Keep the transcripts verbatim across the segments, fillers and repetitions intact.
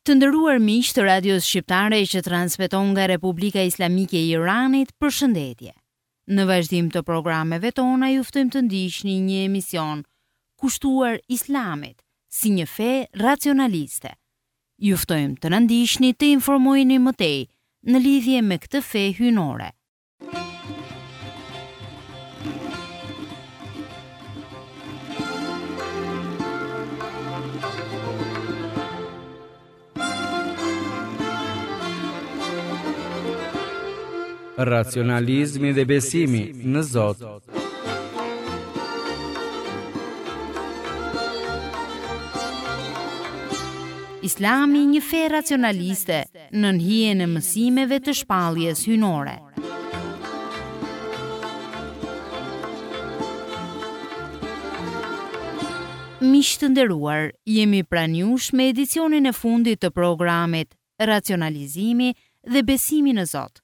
Të nderuar miq të Radios Shqiptare që transmeton nga Republika Islamike e Iranit, përshëndetje. Në vazhdim të programeve tona ju ftojmë të ndiqni një emision kushtuar Islamit si një fe racionaliste. Ju ftojmë të na ndiqni të informojeni më tej në lidhje me këtë fe hyjnore. Racionalizmi dhe besimi në Zot. Islami një fe racionaliste nën hijen e mësimeve të shpalljes hyjnore. Miq të nderuar, jemi pranë jush me edicionin e fundit të programit Racionalizimi dhe besimi në Zot.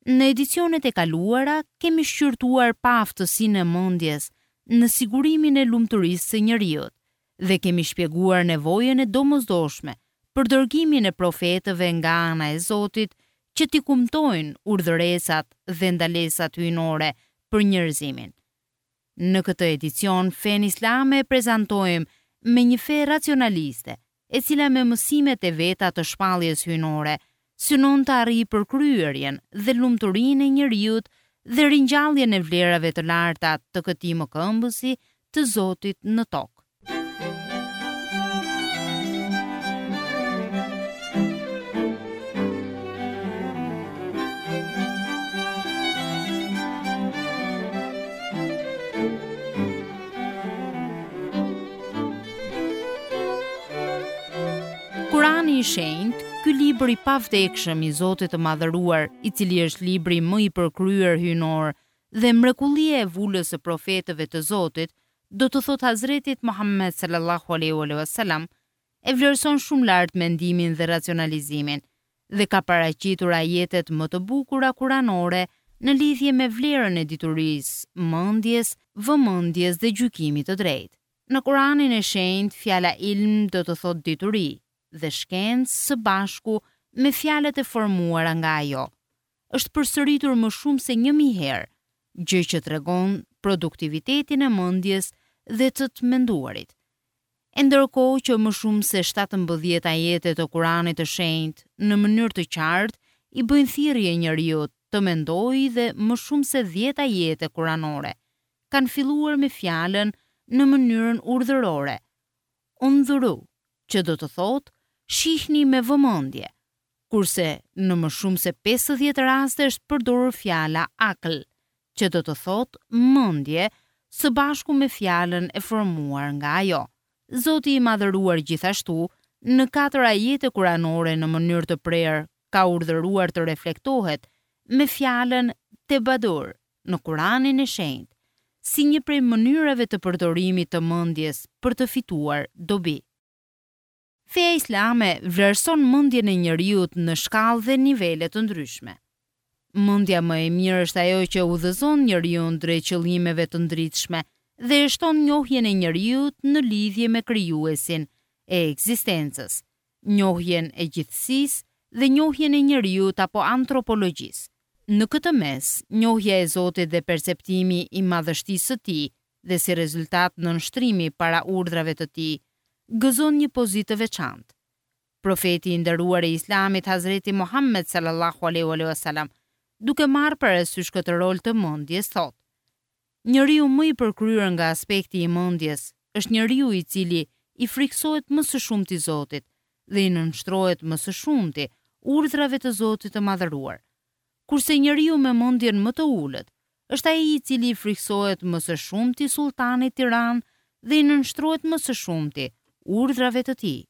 Në edicionet e kaluara kemi shqyrtuar paaftësinë e mendjes në sigurimin e lumturisë së njeriut dhe kemi shpjeguar nevojën e domosdoshme për dërgimin e profetëve nga ana e Zotit që t'i kumtojnë urdhëresat dhe ndalesat hyjnore për njerëzimin. Në këtë edicion, fenë islame e prezantojmë me një fe racionaliste, e cila me mësimet e veta të shpalljes hyjnore synon të arrijë përkryerjen dhe lumturinë e njeriut dhe ringjalljen e vlerave të larta të këtij mëkëmbësi të Zotit në tokë. Kurani i Shenjtë, ky libër i pavdekshëm i Zotit të Madhëruar, i cili është libri më i përkryer hyjnor dhe mrekullia e vulës së profetëve të Zotit, do të thotë Hazretit Muhammed sallallahu alaihi wasallam, e vlerëson shumë lart mendimin dhe racionalizimin dhe ka paraqitur ajetet më të bukura kuranore në lidhje me vlerën e diturisë, mendjes, vëmendjes dhe gjykimit të drejtë. Në Kuranin e Shenjtë, fjala ilm do të thotë dituri dhe shkencë së bashku me fjalët e formuara nga ajo. Është përsëritur më shumë se një mijë herë, gjë që tregon produktivitetin e mendjes dhe të të menduarit. E ndërkohë që më shumë se shtatëmbëdhjetë ajete të Kuranit të Shenjtë në mënyrë të qartë i bëjnë thirrje njeriut të mendojë dhe më shumë se dhjetë ajete kuranore kanë filluar me fjalën në mënyrën urdhërore, undhuru, që do të thotë shihni me vëmendje, kurse në më shumë se pesëdhjetë raste është përdorur fjala akl, që do të thotë mendje, së bashku me fjalën e formuar nga ajo. Zoti i madhëruar gjithashtu, në katër ajete kuranore në mënyrë të prerë, ka urdhëruar të reflektohet me fjalën tebadur në Kuranin e Shenjtë, si një prej mënyrave të përdorimit të mendjes për të fituar dobi. Feja islame vlerëson mendjen e njeriut në shkallë dhe nivele të ndryshme. Mendja më e mirë është ajo që udhëzon njeriun drejt qëllimeve të ndritshme dhe e shton njohjen e njeriut në lidhje me krijuesin e ekzistencës, njohjen e gjithësisë dhe njohjen e njeriut apo antropologjisë. Në këtë mes, njohja e Zotit dhe perceptimi i madhështisë së tij dhe si rezultat nënshtrimi para urdhrave të tij, gëzon një pozitë të veçantë. Profeti i nderuar i Islamit Hazreti Muhammed sallallahu alaihi wasallam, duke marrë parasysh këtë rol të mendjes, thotë: Njeriu më i përkryer nga aspekti i mendjes është njeriu i cili i friksohet më së shumti Zotit dhe i nënshtrohet më së shumti urdhrave të Zotit të madhëruar. Kurse njeriu me mendjen më të ulët është ai i cili i friksohet më së shumti sultanit tiran dhe i nënshtrohet më së shumti urdhrave të tij.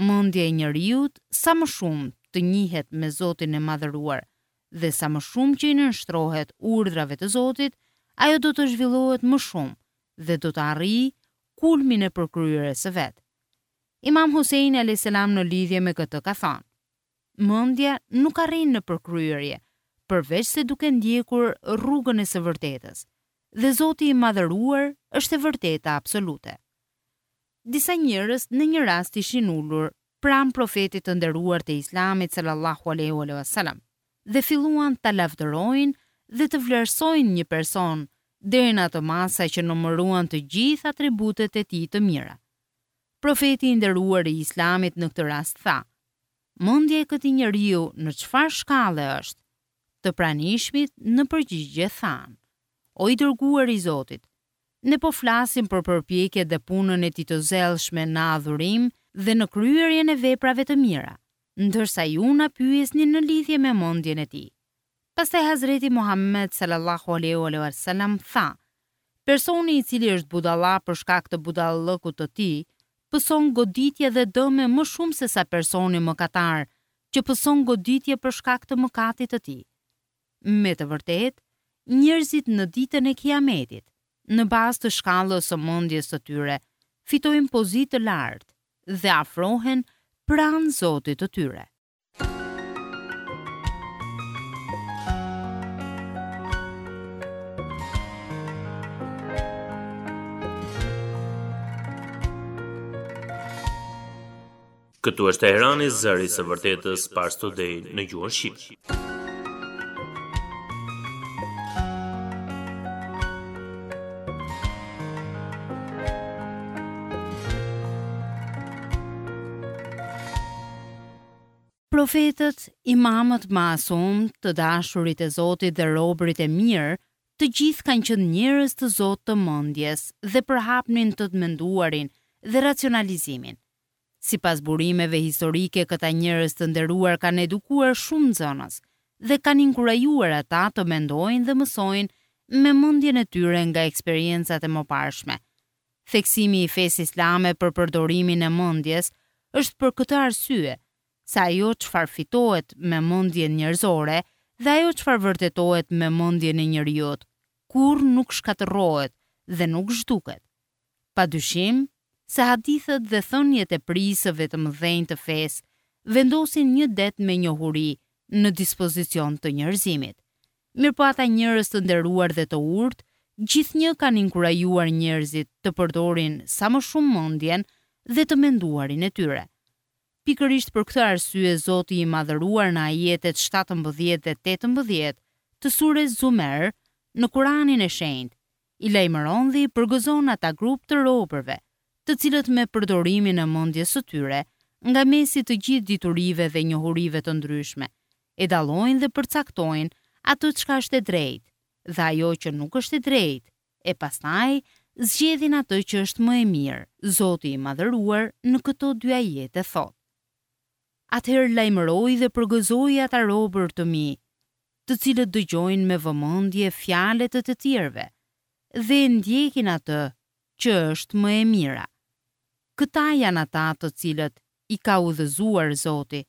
Mendja e njeriut sa më shumë të njihet me Zotin e madhëruar dhe sa më shumë që i nënshtrohet urdhrave të Zotit, ajo do të zhvillohet më shumë dhe do të arrijë kulmin e përkryerjes së vet. Imam Hussein alayhis salam në lidhje me këtë ka thënë: Mendja nuk arrin në përkryerje, përveç se duke ndjekur rrugën e së vërtetës, dhe Zoti i madhëruar është e vërteta absolute. Disa njerëz në një rast ishin ulur pranë profetit të nderuar të Islamit sallallahu alaihi wasallam dhe filluan ta lavdërojnë dhe të vlerësojnë një person deri në atë masë që numëruan të gjithë atributet e tij të mira. Profeti i nderuar i Islamit në këtë rast tha: "Mendja e këtij njeriu në çfarë shkalle është?" Të pranishmit në përgjigje thanë: "O i dërguar i Zotit, ne po flasim për përpjekjet dhe punën e tij të zellshme në adhurim dhe në kryerjen e veprave të mira, ndërsa ju na pyesni në lidhje me mendjen e tij." Pastaj Hazreti Muhammed sallallahu alaihi wasallam tha: "Personi i cili është budalla për shkak të budallëkut të tij, pëson goditje dhe dëme më shumë se sa personi mëkatar që pëson goditje për shkak të mëkatit të tij." Me të vërtetë, njerëzit në ditën e Kiametit, në bazë të shkallës së mendjes së tyre, fitojnë pozitë të lartë dhe afrohen pranë Zotit të tyre. Këtu është Teherani, zëri i së vërtetës Pars Today në gjuhën shqipe. Profetët, imamët masum, të dashurit e Zotit dhe robërit e mirë, të gjithë kanë qenë njerëz të Zot të mendjes dhe përhapnin të menduarin dhe racionalizimin. Sipas burimeve historike, këta njerëz të nderuar kanë edukuar shumë nxënës dhe kanë inkurajuar ata të mendojnë dhe mësojnë me mendjen e tyre nga eksperiencat e mëparshme. Theksimi i fesë islame për përdorimin e mendjes është për këtë arsye, se ajo çfarë fitohet me mendjen njerëzore dhe ajo çfarë vërtetohet me mendjen e njeriut, kurrë nuk shkatërrohet dhe nuk zhduket. Padyshim se hadithet dhe thëniet e prijësve të mëdhenj të fesë vendosin një det me njohuri në dispozicion të njerëzimit. Mirë po ata njerëz të nderuar dhe të urtë gjithnjë kanë inkurajuar njerëzit të përdorin sa më shumë mendjen dhe të menduarin e tyre. Pikërisht për këtë arsye Zoti i madhëruar në ajetet shtatëmbëdhjetë dhe tetëmbëdhjetë të sures Zumer në Kuranin e Shenjtë i lajmëron dhe i përgëzon ata grup të robërve, të cilët me përdorimin e mendjes së tyre, nga mesi të gjithë diturive dhe njohurive të ndryshme, e dallojnë dhe përcaktojnë atë çka është e drejtë dhe ajo që nuk është e drejtë, e pastaj zgjedhin atë që është më e mirë. Zoti i madhëruar në këto dy ajete thotë: Atëherë lajmëroi dhe përgëzoi ata robër të mi, të cilët dëgjojnë me vëmendje fjalët e të tjerëve dhe ndjekin atë që është më e mira. Këta janë ata të cilët i ka udhëzuar Zoti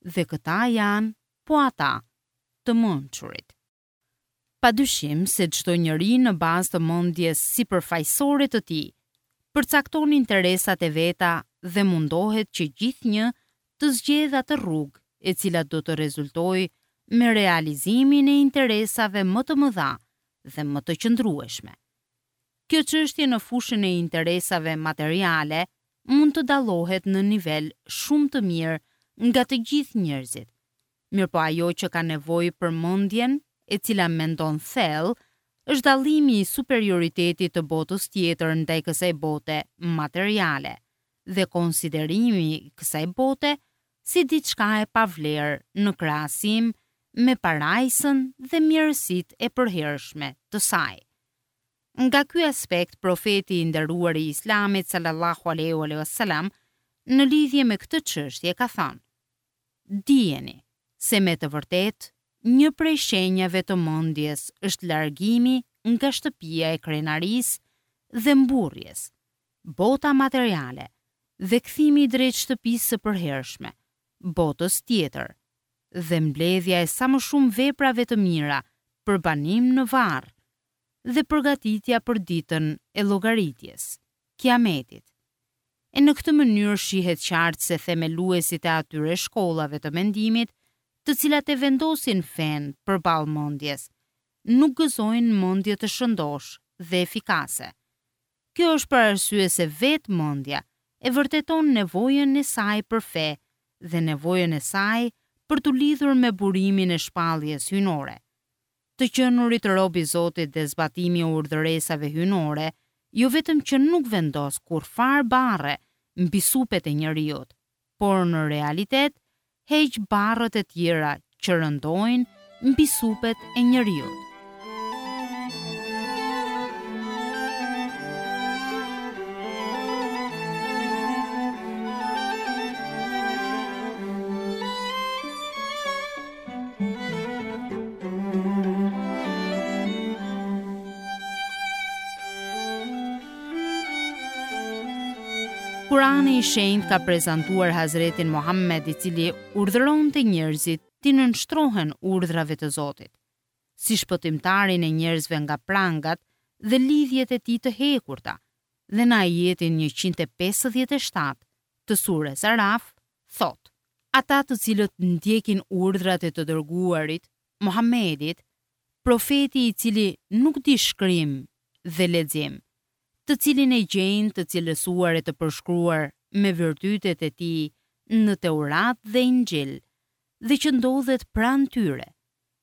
dhe këta janë po ata të mençurit. Padyshim se çdo njeri në bazë të mendjes sipërfaqësore të tij përcakton interesat e veta dhe mundohet që gjithnjë të zgjedhë atë rrugë e cila do të rezultojë me realizimin e interesave më të mëdha dhe më të qëndrueshme. Kjo çështje në fushën e interesave materiale mund të dallohet në nivel shumë të mirë nga të gjithë njerëzit. Mirë po ajo që ka nevojë për mendjen, e cila mendon thellë, është dallimi i superioritetit të botës tjetër ndaj kësaj bote materiale dhe konsiderimi i kësaj bote si diçka e pavlerë në krahasim me parajsën dhe mirësitë e përhershme të saj. Nga ky aspekt, profeti i nderuar i Islamit sallallahu alaihi wasallam në lidhje me këtë çështje ka thënë: Dijeni se me të vërtetë një prej shenjave të mendjes është largimi nga shtëpia e krenarisë dhe mburrjes, bota materiale, dhe kthimi drejt shtëpisë së përhershme, botës tjetër, dhe mbledhja e sa më shumë veprave të mira për banim në varr dhe përgatitja për ditën e llogaritjes, Kiametit. E në këtë mënyrë shihet qartë se themeluesit e atyre shkollave të mendimit, të cilat e vendosin fen përballë mendjes, nuk gëzojnë mendje të shëndosh dhe efikase. Kjo është për arsye se vetë mendja e vërteton nevojën e saj për fe dhe nevojën e saj për t'u lidhur me burimin e shpalljes hyjnore. Të qenurit rob i Zotit dhe zbatimi i urdhëresave hyjnore, jo vetëm që nuk vendos kurrfarë barre mbi supet e njeriut, por në realitet heq barrët e tjera që rëndojnë mbi supet e njeriut. Kurani i Shenjtë ka prezantuar Hazretin Muhammed, i cili urdhëronte njerëzit t'i nënshtrohen urdhrave të Zotit, si shpëtimtarin e njerëzve nga prangat dhe lidhjet e tij të hekurta, dhe në ajetin njëqind e pesëdhjetë e shtatë të sures Araf thotë: Ata të cilët ndjekin urdhrat e të dërguarit, Muhammedit, profeti i cili nuk di shkrim dhe lexim, të cilin e gjejnë të cilësuar e të përshkruar me virtytet e tij në Teurat dhe Inxhil, dhe që ndodhet pranë tyre,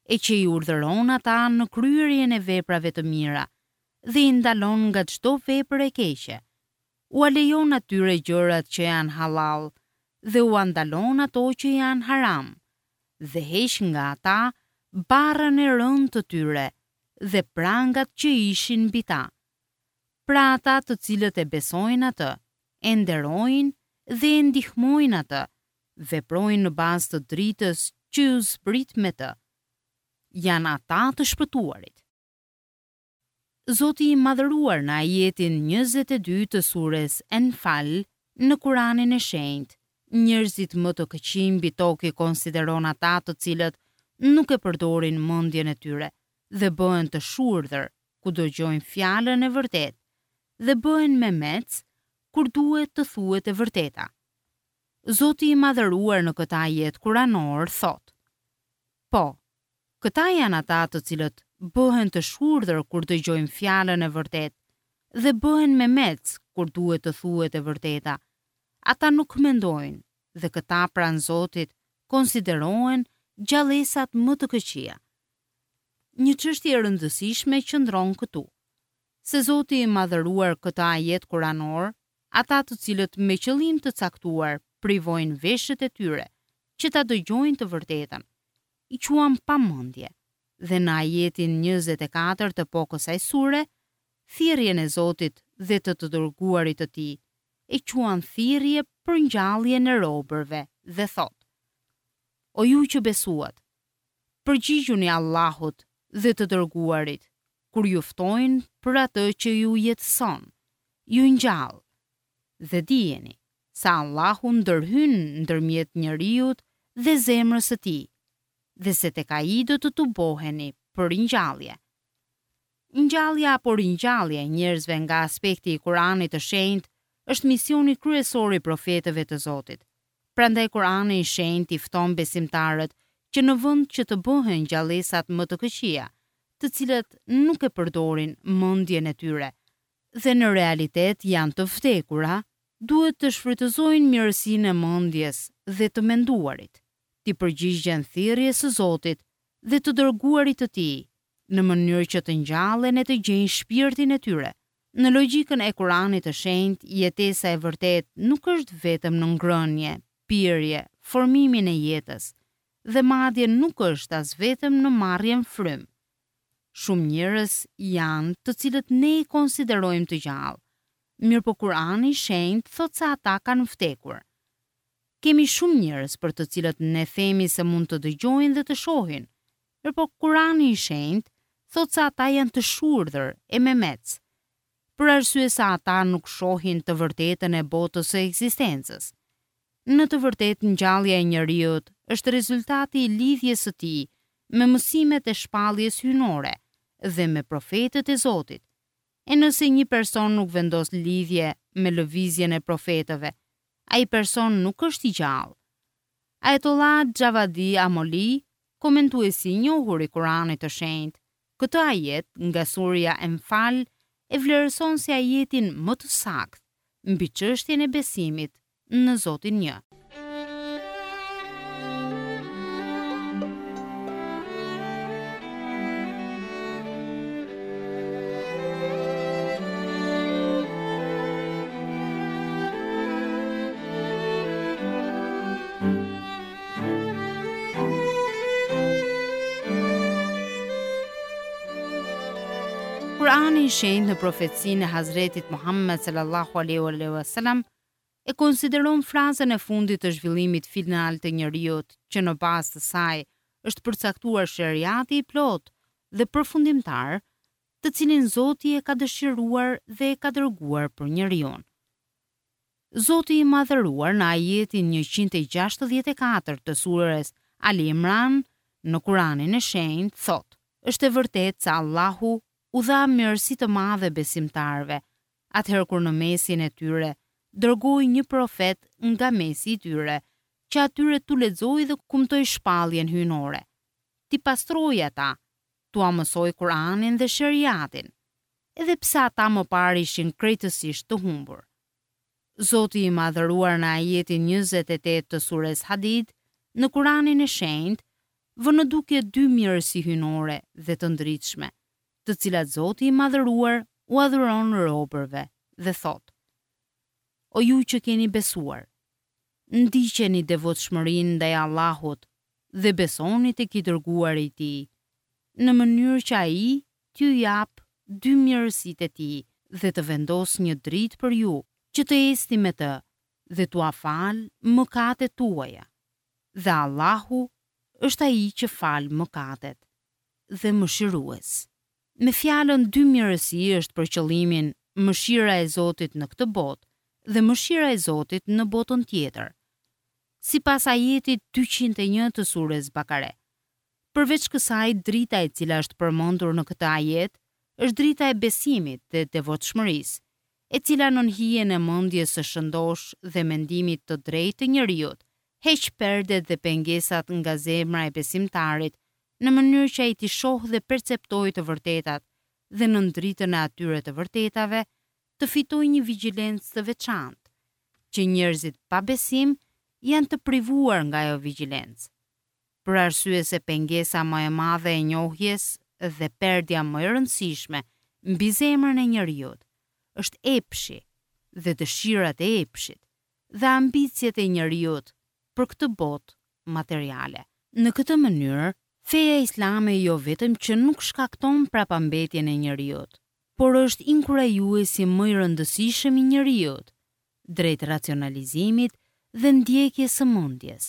e që i urdhëron ata në kryerjen e veprave të mira dhe i ndalon nga çdo vepër e keqe, ua lejon atyre gjërat që janë halal dhe ua ndalon ato që janë haram, dhe heq nga ata barrën e rëndë të tyre dhe prangat që ishin mbi ta. Pra ata të cilët e besojnë atë, e nderojnë dhe e ndihmojnë atë, veprojnë në bazë të dritës që ju zbrit me të. Janë ata të shpëtuarit. Zoti i madhëruar në ajetin njëzet e dy të sures Enfal në Kuranin e Shenjtë, njerëzit më të këqij mbi tokë i konsideron ata të cilët nuk e përdorin mendjen e tyre dhe bëhen të shurdhër ku dëgjojnë fjalën e vërtetë dhe bëhen memec kur duhet të thuhet e vërteta. Zoti i madhëruar në këtë ajet kuranor thotë: Po, këta janë ata të cilët bëhen të shurdhër kur dëgjojnë fjalën e vërtetë dhe bëhen memec kur duhet të thuhet e vërteta. Ata nuk mendojnë dhe këta pranë Zotit konsiderohen gjallesat më të këqija. Një çështje e rëndësishme qëndron këtu, se Zoti i madhëruar këtë ajet kuranor, ata të cilët me qëllim të caktuar privojnë veshët e tyre që ta dëgjojnë të vërtetën, i quan pa mendje, dhe në ajetin njëzet e katër të po kësaj sure, thirrjen e Zotit dhe të të dërguarit të tij, e quan thirrje për ngjalljen e robërve dhe thotë: O ju që besuat, përgjigjuni Allahut dhe të dërguarit, kur ju ftojnë për atë që ju jetëson, ju ngjall, dhe dijeni se Allahu ndërhyn ndërmjet njeriut dhe zemrës së tij, dhe se tek ai do të tuboheni për ringjallje. Ngjallja apo ringjallja e njerëzve nga aspekti i Kuranit të Shenjtë është misioni kryesor i profetëve të Zotit. Prandaj Kurani i Shenjtë i fton besimtarët që në vend që të bëhen gjallesat më të këqija, të cilët nuk e përdorin mendjen e tyre dhe në realitet janë të vdekura, duhet të shfrytëzojnë mirësinë e mendjes dhe të menduarit, t'i përgjigjen thirrjes së Zotit dhe të dërguarit të tij, në mënyrë që të ngjallen e të gjejnë shpirtin e tyre. Në logjikën e Kuranit të Shenjtë, jetesa e vërtetë nuk është vetëm në ngrënie, pirje, formimin e jetës, dhe madje nuk është as vetëm në marrjen frymë. Shumë njerëz janë të cilët ne i konsiderojmë të gjallë, mirë po Kurani i Shenjtë thotë se ata kanë vdekur. Kemi shumë njerëz për të cilët ne themi se mund të dëgjojnë dhe të shohin, mirë po Kurani i Shenjtë thotë se ata janë të shurdhër e memec, për arsye se ata nuk shohin të vërtetën e botës së ekzistencës. Në të vërtetë ngjallja e njeriut është rezultati i lidhjes së tij me mësimet e shpalljes hyjnore dhe me profetët e Zotit. E nëse një person nuk vendos lidhje me lëvizjen e profetëve, ai person nuk është i gjallë. Ayatollah Javadi Amoli, komentuesi i njohur i Kuranit të Shenjtë, këtë ajet nga surja Enfal e vlerëson si ajetin më të saktë mbi çështjen e besimit në Zotin Një. Kurani i Shenjtë në profecinë e Hazretit Muhammed sallallahu alaihi wasallam e konsideron frazën e fundit të zhvillimit final të njeriut, që në bazë të saj është përcaktuar sheriati i plotë dhe përfundimtar, të cilin Zoti e ka dëshiruar dhe e ka dërguar për njeriun. Zoti i madhëruar në ajetin njëqind e gjashtëdhjetë e katër të surës Ali Imran në Kuranin e Shenjtë thotë: Është e vërtetë se Allahu u dha mirësi të madhe besimtarëve, atëherë kur në mesin e tyre dërgoi një profet nga mesi i tyre, që atyre t'u lexoi dhe kumtoi shpalljen hyjnore, t'i pastroi ata, t'ua mësoi Kur'anin dhe sheriatin, edhe pse ata më parë ishin krejtësisht të humbur. Zoti i madhëruar në ajetin njëzet e tetë të sures Hadid, në Kuranin e Shenjtë, vë në dukje dy mirësi hyjnore dhe të ndritshme, të cilat Zoti i madhëruar u adhuron robërve dhe thotë: O ju që keni besuar, ndiqeni devotshmërinë ndaj Allahut dhe besoni tek i dërguari i tij, në mënyrë që ai t'ju japë dy mirësitë e tij dhe të vendosë një dritë për ju, që të ecni me të dhe t'ua falë mëkatet tuaja. Dhe Allahu është ai që fal mëkatet dhe mëshirues. Me fjalën dy mirësi është për qëllimin mëshira e Zotit në këtë botë dhe mëshira e Zotit në botën tjetër, sipas ajetit dyqind e një të sures Bakare. Përveç kësaj, drita e cila është përmendur në këtë ajet është drita e besimit dhe devotshmërisë, e cila nën hijen e mendjes së shëndosh dhe mendimit të drejtë të njeriut, heq perdet dhe pengesat nga zemra e besimtarit, në mënyrë që ai t'i shohë dhe perceptojë të vërtetat dhe nën dritën e atyre të vërtetave të fitojë një vigjilencë të veçantë, që njerëzit pa besim janë të privuar nga ajo vigjilencë. Për arsye se pengesa më e madhe e njohjes dhe perdja më e rëndësishme mbi zemrën e njeriut është epshi dhe dëshirat e epshit dhe ambiciet e njeriut për këtë botë materiale. Në këtë mënyrë, feja islame jo vetëm që nuk shkakton prapambetjen e njeriut, por është inkurajuesi më i rëndësishëm i njeriut drejt racionalizimit dhe ndjekjes së mendjes,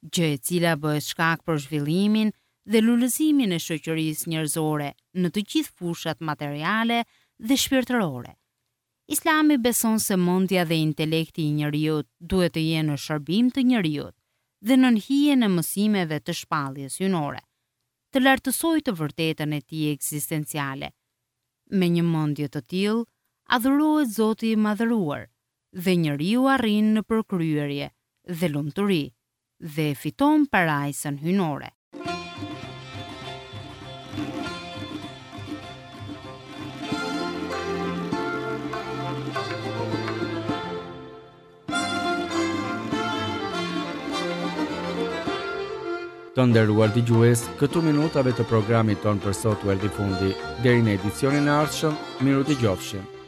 gjë e cila bëhet shkak për zhvillimin dhe lulëzimin e shoqërisë njerëzore në të gjithë fushat materiale dhe shpirtërore. Islami beson se mendja dhe intelekti i njeriut duhet të jenë në shërbim të njeriut dhe nën hijen e mësimeve të shpalljes hyjnore, të lartësojë të vërtetën e tij ekzistenciale. Me një mendje të tillë, adhurohet Zoti i madhëruar dhe njeriu arrin në përkryerje dhe lumturi dhe fiton parajsën hyjnore. Të nderuar dëgjues, këtu minutave të programit ton për sot u erdhi fundi. Deri në edicionin e ardhshëm, miru dëgjofshim.